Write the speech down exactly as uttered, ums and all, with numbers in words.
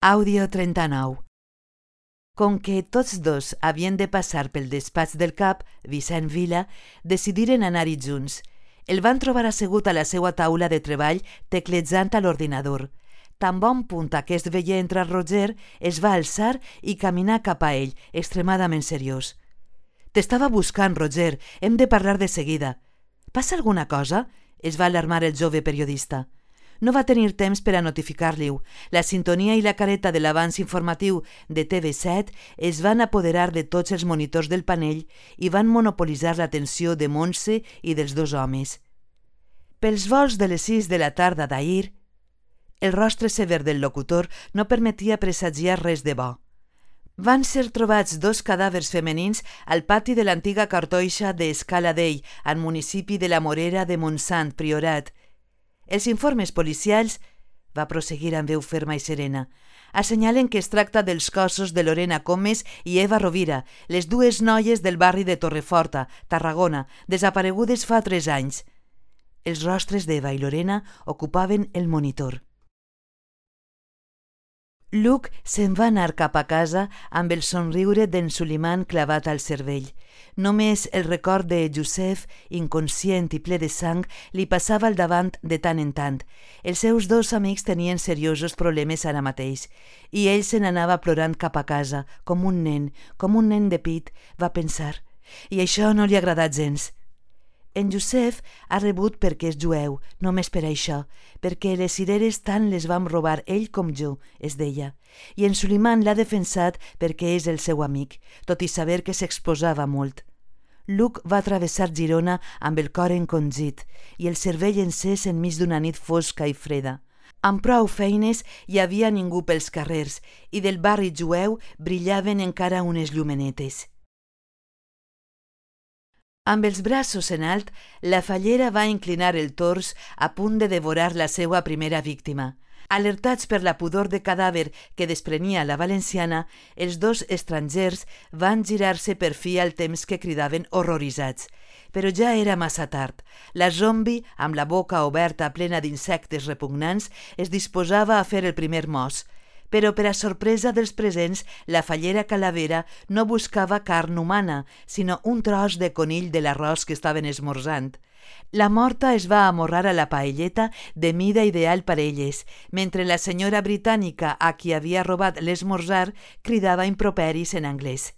Àudio trenta-nou. Com que tots dos havien de passar pel despatx del cap, Vicent Vila, decidiren anar-hi junts. El van trobar assegut a la seva taula de treball teclejant a l'ordinador. Tan bon punt aquest veia entrar Roger, es va alçar i caminar cap a ell, extremadament seriós. «T'estava buscant, Roger. Hem de parlar de seguida». «Passa alguna cosa?» es va alarmar el jove periodista. No va tenir temps per a notificar-li-ho. La sintonia i la careta de l'avanç informatiu de T V set es van apoderar de tots els monitors del panell i van monopolitzar l'atenció de Montse i dels dos homes. Pels volts de les sis de la tarda d'ahir, el rostre sever del locutor no permetia presagiar res de bo. Van ser trobats dos cadàvers femenins al pati de l'antiga cartoixa d'Escala Dei, al municipi de la Morera de Montsant, Priorat. Els informes policials, va prosseguir amb veu ferma i serena, assenyalen que es tracta dels cossos de Lorena Comes i Eva Rovira, les dues noies del barri de Torreforta, Tarragona, desaparegudes fa tres anys. Els rostres d'Eva i Lorena ocupaven el monitor. Luc se'n va anar cap a casa amb el somriure d'en Suliman clavat al cervell. Només el record de Josep, inconscient i ple de sang, li passava al davant de tant en tant. Els seus dos amics tenien seriosos problemes ara mateix, i ell se n'anava plorant cap a casa, com un nen, com un nen de pit, va pensar. I això no li ha agradat gens. En Josep ha rebut perquè és jueu, només per això, perquè les cireres tant les vam robar ell com jo, es deia, i en Suliman l'ha defensat perquè és el seu amic, tot i saber que s'exposava molt. Luc va travessar Girona amb el cor encongit i el cervell encès enmig d'una nit fosca i freda. Amb prou feines hi havia ningú pels carrers i del barri jueu brillaven encara unes llumenetes. Amb els braços en alt, la fallera va inclinar el tors a punt de devorar la seva primera víctima. Alertats per la pudor de cadàver que desprenia la valenciana, els dos estrangers van girar-se per fi al temps que cridaven horroritzats. Però ja era massa tard. La zombi, amb la boca oberta plena d'insectes repugnants, es disposava a fer el primer mos. Però per a sorpresa dels presents, la fallera calavera no buscava carn humana, sinó un tros de conill de l'arròs que estaven esmorzant. La morta es va amorrar a la paelleta de mida ideal per elles, mentre la senyora britànica a qui havia robat l'esmorzar cridava improperis en anglès.